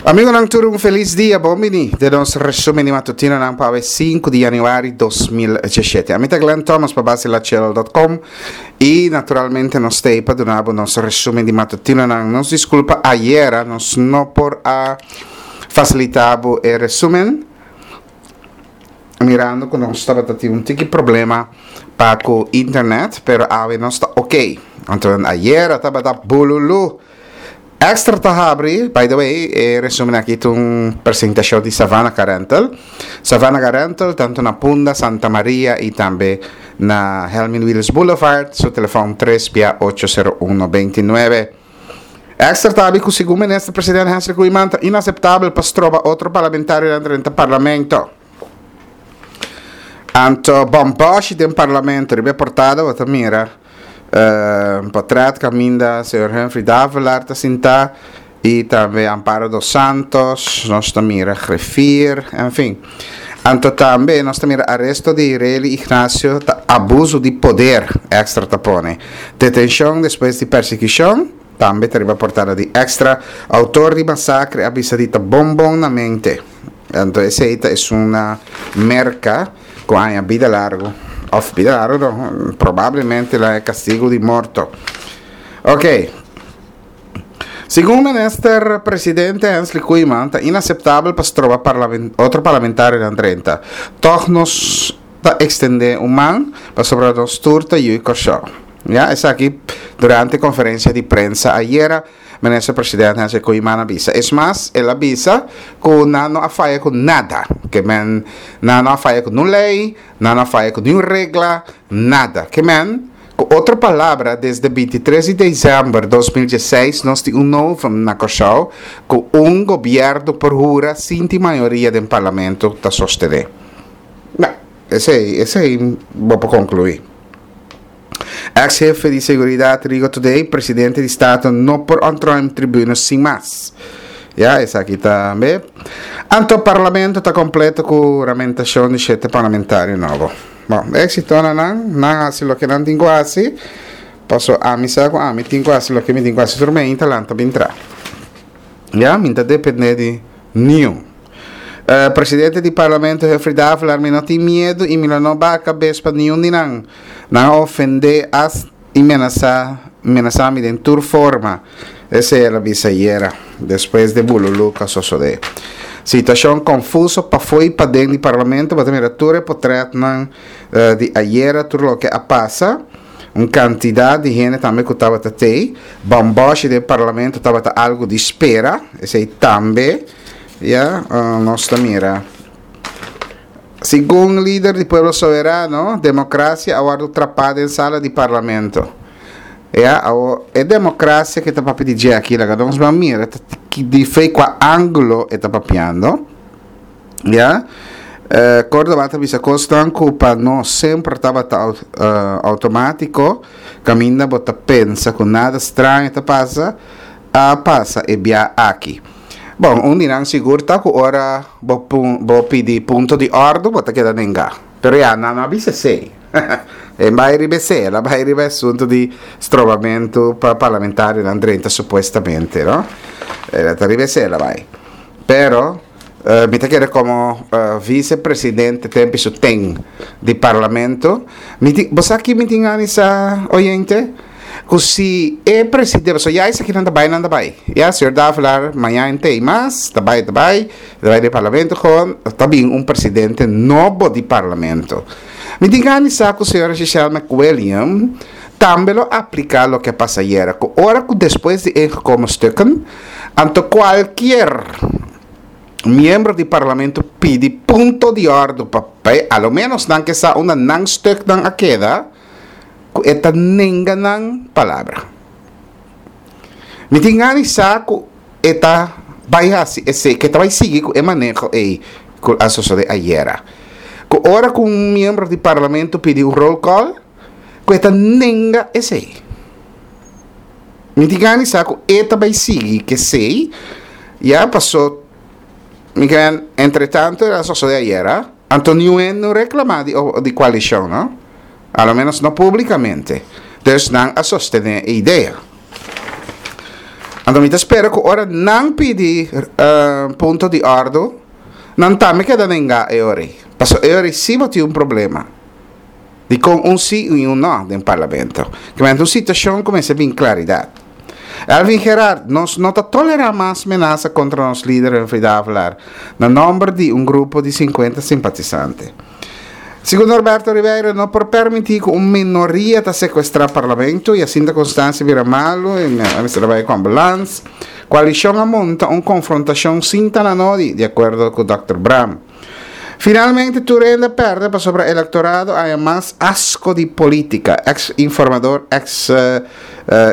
Amigonan tur un felis dia, bon bini den nos resumen di matutinonan pa awe 5 di januari 2017. Ami ta Glenn Thomas pa basilachelo.com y naturalmente nos ta pa duna bo nos resumen di matutinonan. Nos disculpa ayera nos no por a facilita bo e resumen mirando cu nos tabata tin un tiki problema pa cu internet, pero awe nos ta ok. Anto ayera tabata bululu. Extra ta habri, by the way, e resumen aki ta un presentacion di Savannah Car Rental. Savannah Car Rental, tanto na Punda, Santa Maria y tambe na Helmin Willis Boulevard, su telefon 3 bia 801 29. Extra ta habri cu segun Minister President Hensley Koeiman ta inaceptabel pa stroba otro parlamentarionan drenta Parlamento. Anto bomboshi den Parlamento, riba e portada bo ta mira. Portret caminda señor Humphrey Davelaar ta sinta y tambe Amparo dos Santos, nos ta mira Griffier, en fin. Anto tambe nos ta mira aresto di Rely Ignacio ta abuso di poder, Extra ta pone. Detencion despues di persecucion, tambe ta riba portada di Extra. Autor di masacre a bisa di ta bon bon na mente. Anto esey ta esun na Merca. Cu aña bida largo of bida largo no, probablemente la e castigo di morto. Ok. Segun minister presidente Hensley Koeiman ta inaceptabel pa stroba parlament, otro parlamentarionan drenta. Toch nos ta extende un man pasobra nos tur ta yui Kòrsou. Ya, esaki durante conferencia di prensa ayera. Minister President Hensley Koeiman a bisa. Es mas, el a bisa ku nan no a faya ku nada. Ke men, nan no a faya ku nun lei, nan no a faya ku niun regla, nada. Ke men, ku otro palabra, desde bintitres di desèmber 20dieseis nos tin un novum na Kòrsou ku un gobièrnu por hura sin tin mayoria den parlamento ta sostené. No, esei, esei bo por konkluí. Ex hefe di seguridad Rigo Today, presidente di Staten no por ontruim tribune sin mas. Ya, esaki tambe. Anto parlamento ta completo cu huramentacion di shete parlamentario nobo. Bon, exito na nan, nan haci loke nan tin cu haci, paso ami sa cu ami tin cu haci loke mi tin cu haci, tur mi ainda lanta bin tra. Ya, mi ta depende di niun. Presidente di Parlamento Humphrey Davelaar, Mi no tin miedu i mi lo no baha kabes pa niun di nan. Nan a ofendé as i menasá menasá mi den tur forma. Esei el a bisa ayera, despues di bululú ku a sosodé. Situashon konfuso pafó i paden di Parlamento, bo ta mira tur e potrètnan di ayera, tur loke a pasa. Un kantidat di hende tambe ku tabata tei. Bòmbòshi den Parlamento tabata algu di spera, esei tambe. Ya, nos ta mira. Segun lider di Pueblo Soberano, demokrasia a wòrdu trapá den sala di Parlamento. Ya, awo e demokrasia ke ta papia di dje aki, laga nos ban mira ta di fe kua ángulo e ta papiando. Ya, Córdoba ta bisa kosnan ku pa nos semper tabata outomátiko, kaminda bo ta pensa ku nada straño ta pasa, a pasa e bia aki. Bon, un di nan sigur ta ku ora bo bo pidi punto di òrdu bo ta keda nengá. Pero ya, nan no a bisa esei. E bai riba esei, el a bai riba e asuntu di strobamentu pa parlamentarionan drenta supuestamente, no? El ta riba esei el a bai. Pero, mi ta kere komo visepresidente tempi su ten di parlamento, mi tin, bo sa ki mi tin gana di sa, oyente? Ku si e presidente, pasobra ya esakinan ta bai, nan ta bai. Ya, señor Davelaar mañana entei mas, ta bai, ta bai, ta bai den parlamento gewoon, ta bin un presidente nobo di parlamento. Mi tin gana di sa ku señora Giselle McWilliam tambe lo apliká loke a pasa ayera, ku ora ku despues di ingekomen stukken, anto kualkier miembro di parlamento pidi punto di òrdu pa bai, a lo menos nan ke sa unda nan stuknan a keda, ku e ta nenga nan palabra. Mi tin gana di sa ku e ta bai hasi esei, ku e ta bai sigui ku e maneho ei ku a sosodé ayera. Ku ora ku un miembro di parlamento pidi un roll call, ku e ta nenga esei. Mi tin gana di sa ku e ta bai sigui ku esei, ya paso mi kren entretanto el a sosodé ayera, anto niun hende no reklamá di di koalishon no. A lo menos no publicamente. Dus nan a sostene e idea. Anto mi ta spera ku ora nan pidi punto di òrdu, nan tambe keda nengá e ora ei. Pasobra e ora ei sí bo tin un problema. Dikon un sí i un nò den parlamento? Kimente un situashon ku mester bin klaridat. Elvin Gerard, Nos no ta tolerá mas menasa kontra nos lider Humphrey Davelaar na nòmber di un grupo di sinkuenta simpatisante. Segun Norberto Ribeiro, no por permití ku un minoria ta sekuestrá parlamento i asinta Constancia bira malu i mester a bai ku ambulans. Koalishon a monta un konfrontashon sin ta na nodi, di akuerdo ku dòkter Braam. Finalmente tur hende a pèrdè pasobra elektorado a haña mas asko di polítika, eks informador eks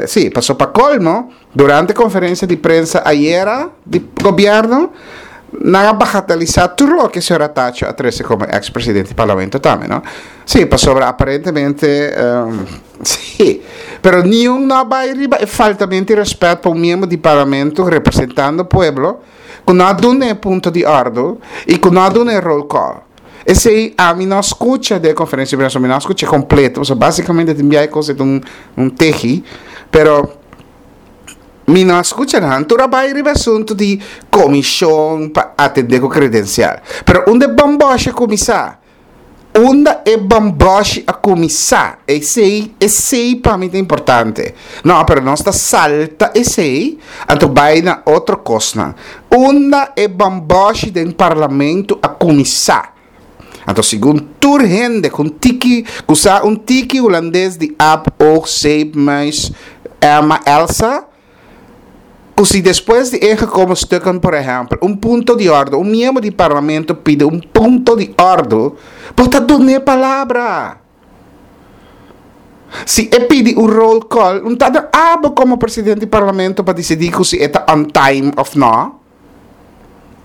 sí, paso pa kolmo, Durante conferencia di prensa ayera di gobierno, nan a bagatelisa tur loke señor Atacho a trece como ex presidente di parlamento tambe, no? Sí, pasobra aparentemente, sí, pero niun no a bay riba e faltamento di respet pa un miembro di parlamento representando pueblo cu no a duna e punto di ordo y cu no a duna e roll call. Esey ami no a scucha den e conferencia di prensa, mi no a scucha completo, pasobra basicamente tin biaha e cos e ta un tehi, pero mi no a scucha nan tur a bay riba e asunto di comision pa atende cu credencial. Pero unda e bamboshi a cuminsa? Unda e bamboshi a cuminsa? Esey, esey pa mi ta importante. No, pero nos ta salta esey, anto bay na otro cosnan. Unda e bamboshi den parlamento a cuminsa? Anto segun tur hende cu un tiki, cu sa un tiki hulandes di Ab, Oog, Zeep, Muis, Emma, Elsa, cu si despues di ingekomen stukken por ehempel, un punto di ordo, un miembro di parlamento pidi un punto di ordo, bo ta dun'e palabra. Si e pidi un roll call, un ta den abo como presidente di parlamento pa dicidi cu si e ta on time of no.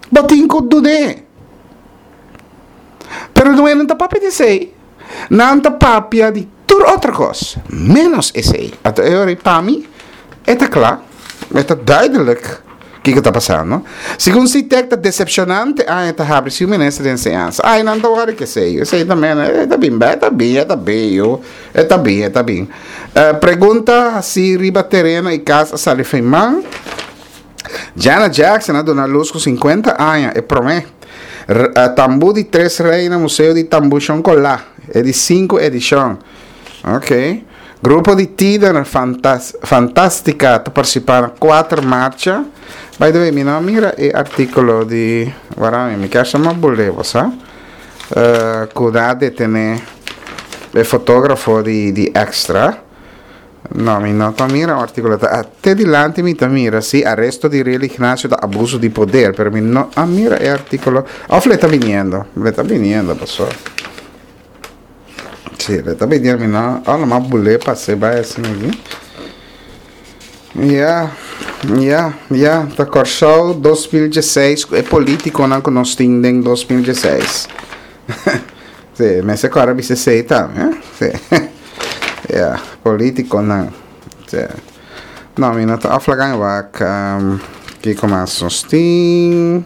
Bo tin cu dun'e. Pero no e no ta papia di esey. Nan ta papia di tur otro cos, menos esey. Anto e ora pa mi e ta cla, e ta duidelijk kiko ta pasando. Segun Sitek ta decepcionante aña ta habri si un minister di enseñansa. Ay nan ta wòrdu ku esei. Esei ta mena, e ta bin bèk, e ta bin, e ta bin, e ta bin, e ta bin. Pregunta hasi riba tereno i kas a sali fen man. Janet Jackson a duna lus ku 50 aña, e promé. Tambú di Tres Reina Museo di Tambú Shonkolá, e di sinku edishon. Ok. Grupo di tiener Fantastica ta partisipá na kuater marcha. By the way, mi no a mira e artíkulo di Warami. Mi kier sa mas bolé bo sa. Ku nan a detené e fotógrafo di di Extra. No, mi no ta mira un artíkulo. Ta te dilanti mi ta mira si aresto di Riel Ignacio ta abuso di poder, pero mi no a mira e artíkulo. Òf le ta biniendo? Le ta biniendo paso. Sí, le ta biniendo mi no. Oh, lo mas bulé pasé bai asina aquí. Ya, ya, ya. Ta Kòrsou 2016 ku e polítikonan ku nos tin den 2016. Sí, mester kòrda bisa esei tambe, eh. Sí. Ya, polítikonan. Sí. No, mi no ta aflagan wak. Kiko mas nos tin?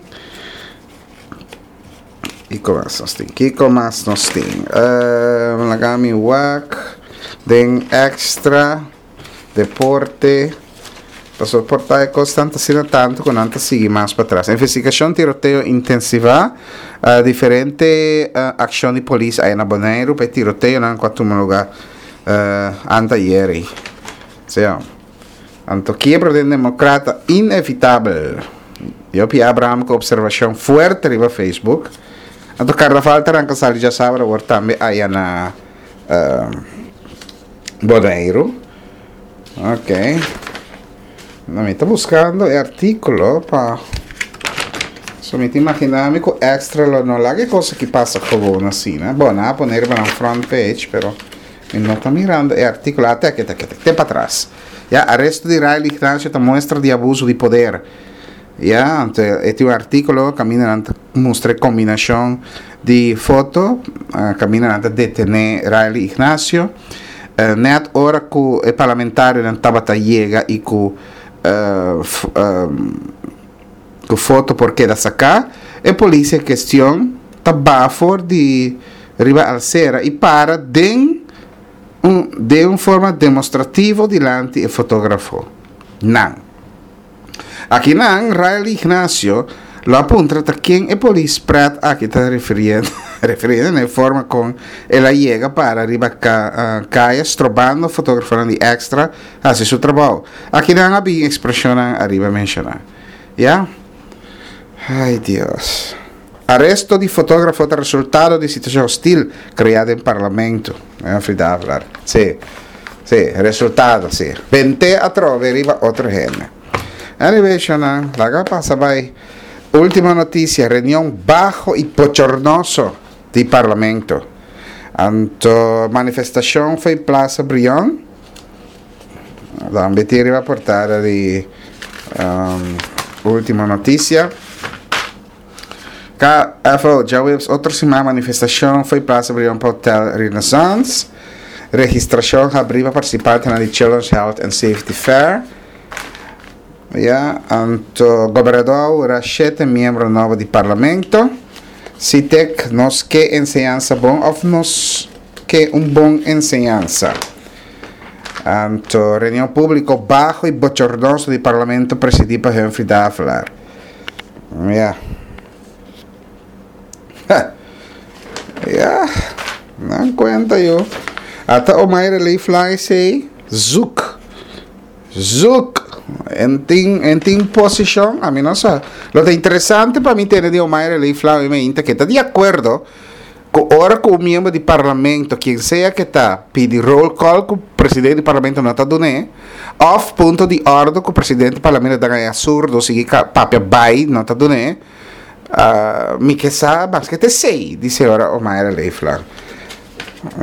Kiko mas nos tin? Kiko mas nos tin? Laga mi wak den extra deporte. Pasobra por ta e kosnan ta asina tantu ku nan ta sigui mas patras. Investigashon tiroteo intensivá. Diferente akshon di polis aya na Boneiru pa e tiroteonan ku a tuma lugá anteayer ei. Sea. Anto kiebra den demokrata inevitabel. Jopie Abraham ku observashon fuerte riba Facebook. Anto karnaval ta ranka sali djasabra awor tambe aya na Boneiru. Ok. No, mi ta buskando e artíkulo pa So mi ta imagina mi ku extra lo no laga e kos aki pasa gewoon asina. Bon, nan a pone riba nan front page, pero Mi no ta mirando e artíkulo. Ah, te aki, te aki, te aki. Te patras. Ya, aresto di Rael Ignacio ta muestra di abuso di poder. Ya, anto e tin un artíkulo kaminda nan ta mustra e kombinashon di foto, kaminda nan ta detené Rael Ignacio. Nèt ora ku e parlamentarionan tabata yega i ku ku foto por keda saká, e polis en kestion ta baha for di riba alsera i para den un den un forma demostrativo dilanti e fotógrafo nan. Akinan Rael Ignacio lo a puntra ta ken e polis pret aki ta refiriendo refiriendo na e forma kon el a yega para riba kaya strobando fotografonan di Extra hasi su trabou. Akinan a bin ekspreshonnan ariba menshoná. Ya. Ay Dios. Aresto di fotografo ta resultado di situacion hostil crea den parlamento. Humphrey Davelaar. Sí. Sí, resultado, sí. Bente atrobe riba otro hende. Anyway, shonan, laga pasa bay. Ultimo noticia, reunion baho y bochornoso di parlamento. Anto manifestacion fo'i Plaza Brion. Tambe tin riba portada di Ultimo Noticia. KFO, djaweps otro siman manifestacion fo'i Plaza Brion pa Hotel Renaissance. Registracion habri pa participantenan di Children's Health and Safety Fair. Ya, anto gobernador a hura shete miembro nobo di parlamento. Sitek, nos ke enseñansa bon of nos ke un bon enseñansa? Anto reunion públiko baho i bochornoso di parlamento presidí pa Humphrey Davelaar. Ya. Ya. Nan kuenta yo. Ata Omaire Leeflang esei zoek. Zoek. En tin, en tin posishon, ami no sa. Lo ta interesante pa mi tende di Omaire Leeflang mi meinta ke ta di akuerdo Ku ora ku un miembro di parlamento, kien sea ke ta, pidi roll call ku presidente di parlamento no ta dun'é, òf punto di òrdu ku presidente di parlamento ta gaña surdo sigui papia bai no ta dun'é, mi ke sa maske ta esei, di señora Omayra Leeflang.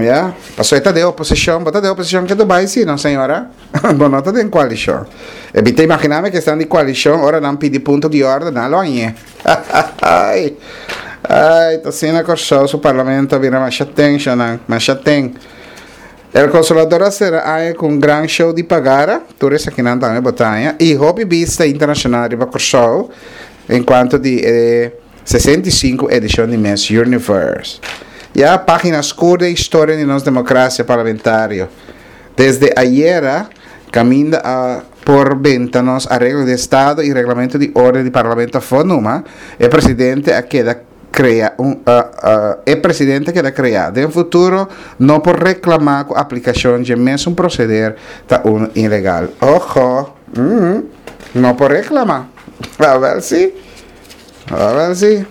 Ya, pasobra e ta den oposishon, bo ta den oposishon ke ta bai si no señora? Bo no ta den koalishon. E mi ta imaginá mi ke esnan di koalishon ora nan pidi punto di òrdu nan lo hañ'é. Ai, ai, ta asina Kòrsou su parlamento a bira masha ten, shownan, masha ten. El Consolador a sera aña ku un gran show di pagara, tur esakinan tambe bo ta haña, i hopi bista internashonal riba Kòrsou en kuanto di e 65 edishon di Miss Universe. Ya, página skur den historia di nos demokrasia parlamentario. Desde ayera, caminda a por benta nos Areglo di Estado y Reglamento di Orden di Parlamento afó numa, e presidente a keda crea un e presidente a keda crea. Den futuro no por reclama cu aplicacion dje mesun proceder ta uno ilegal. Ojo! No por reclama. Awel si. Awel si.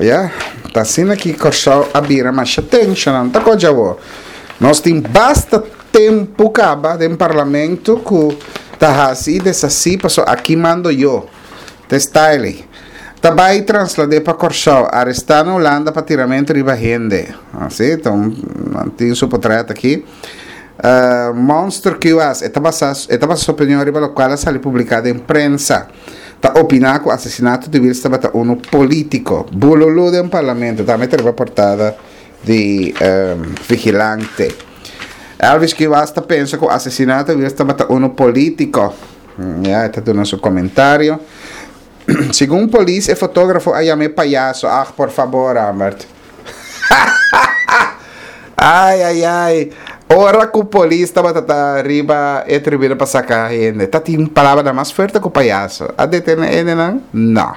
Ya, ta asina ki Kòrsou a bira masha tenshonan. Ta kochi awor. Nos tin basta tempu kaba den parlamento ku ta hasi i deshasí pasobra aki mando yo. Ta e style ei. Ta bai traslad'é pa Kòrsou, arestá na Hulanda pa tiramentu riba hende. Así, ta un, nan tin su potrèt aki. Monster QS, e ta basa, e ta basa su opinion riba lokual a sali publiká den prensa. Ta opiná ku asesinato di Wiels tabata unu polítiko. Bululú den parlamento tambe ta riba portada di Vigilante. Elvis Kuwas ta pensa ku asesinato di Wiels tabata unu polítiko. Ya, e ta duna su komentario. Segun polis e fotógrafo a yam'é payaso. Ag, por fabor, Ambert. Ai, ai, ai. Ora ku polis tabata ta riba e tribuna pa saka hende, ta tin palabranan mas fuerte ku payaso. A detene hendenan? No.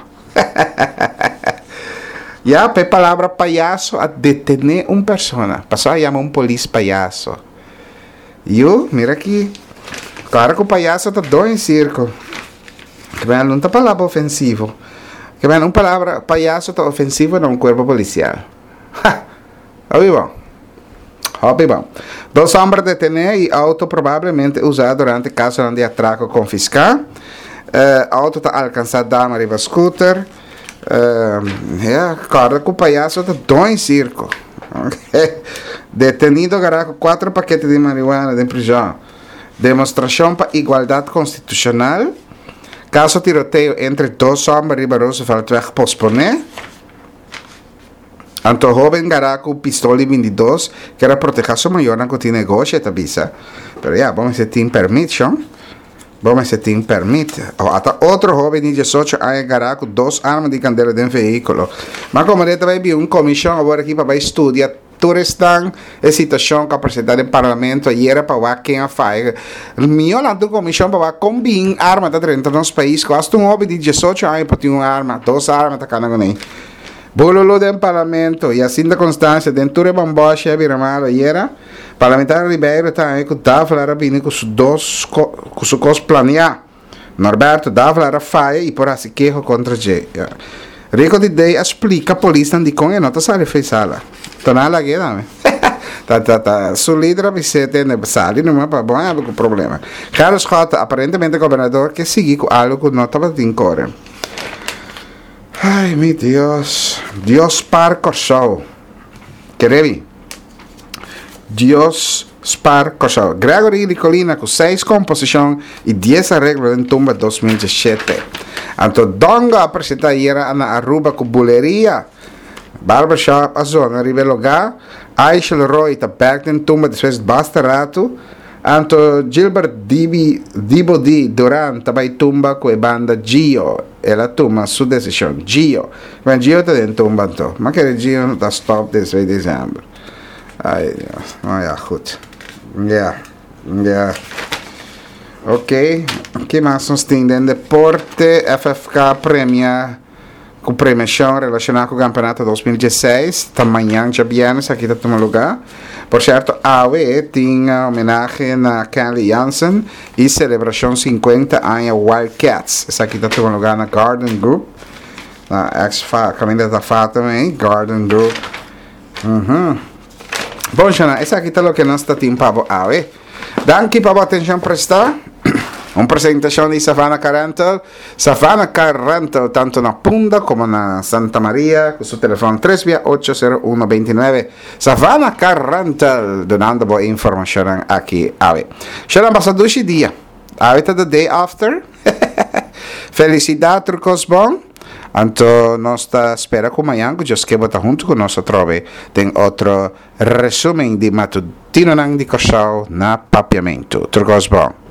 Ya, pa e palabra payaso a detene un persona. Pasobra a yama un polis payaso. Yu, mira aki. Klaro ku payaso ta doño sirko. Kibel no ta palabra ofensivo. Kibel un palabra payaso ta ofensivo na un cuerpo policial. Ha! Hopi bon. Hopi bon. Dos homber detené y auto probablemente usá durante casonan di atraco confiscá. Eh, auto ta alcansá dama riba scooter. Eh, ja, corda cu payaso ta doño circo. Detenido agarrá cu cuatro paquete di marihuana den prison. Demostrashon pa igualdat konstitushonal, Kaso tiroteo entre dos hòmber riba Rooseveltweg posponé, Anto hóben gará ku pistol di bintidos ker a protehá su mayornan ku tin negoshi, e ta bisa. Pero ya, bo mester tin pèrmit, shon. Bo mester tin pèrmit. O ata otro hóben di diesocho aña gará ku dos arma di kandela den vehíkulo. Ma komo de ta bai bin un komishon awor aki pa bai studia. Tur esnan e situashon ku a presentá den parlamento ayera pa wak ken a faya. Mihó lanta un komishon pa wak kon bin arma ta drenta nos pais ku asta un hopi di diesocho aña por tin un arma, dos arma ta kana kuné. Bululu den parlamento, Jacinta Constancia den tur e bòmbòshi a bira malo ayera. Parlamentario Ribeiro ta haña ku Davelaar a bini ku su dos ku su kos planeá. Norberto Davelaar a faya i por hasi keho kontra dje. Rico di Dey a splika polisnan dikon e no ta sali for e sala. Ta nan a lag'é tambe. Ta ta ta su lider a bis'é tende sali numa pa bo haña bo ku problema. Gerrit Schotte, aparentemente gobernador ke sigui ku algu ku no tabatin kore. Ay mi Dios. Dios spaar Kòrsou. Kere mi. Dios spaar Kòrsou. Gregory Nicolina ku seis komposishon i dies areglo den tumba 2017. Anto Dongo a presentá ayera na Aruba ku Buleria. Barbershop a zona riba e lugá. Aishel Roy ta bèk den tumba despues basta ratu. Anto Gilbert Dibi Dibo di Duran ta bai tumba ku e banda Gio. El a tuma su desishon. Gio. Bueno, Gio ta den tumba anto. Ma kere Gio no ta stop despues di december. Ay Dios. No ya, goed. Ya. Ya. Ok. Ki mas nos tin den deporte? FFK premia ku premiashon relashoná ku kampeonato 2016 ta mañan djabièrnè esaki ta tuma lugá. Por sierto awe tin homenahe na Kenley Jansen i selebrashon 50 aña Wild Cats. Esaki ta tuma lugá na Garden Group na ex fa kaminda ta Fatima ei Garden Group. Bon shana esaki ta loke nos ta tin pa bo awe. Danki pa bo atenshon prestá. Un presentashon di Savannah Car Rental. Savannah Car Rental tanto na Punda como na Santa Maria cu su telefon 3 via 801 29. Savannah Car Rental dunando bo informacionnan aki awe. Shana pasa dushi dia. Awe ta the day after. Felicidad tur cos bon. Anto nos ta spera cu mañan cu Dios ke bo ta hunto cu nos atrobe den otro resumen di matutinonan di Corsou na Papiamento. Tur cos bon.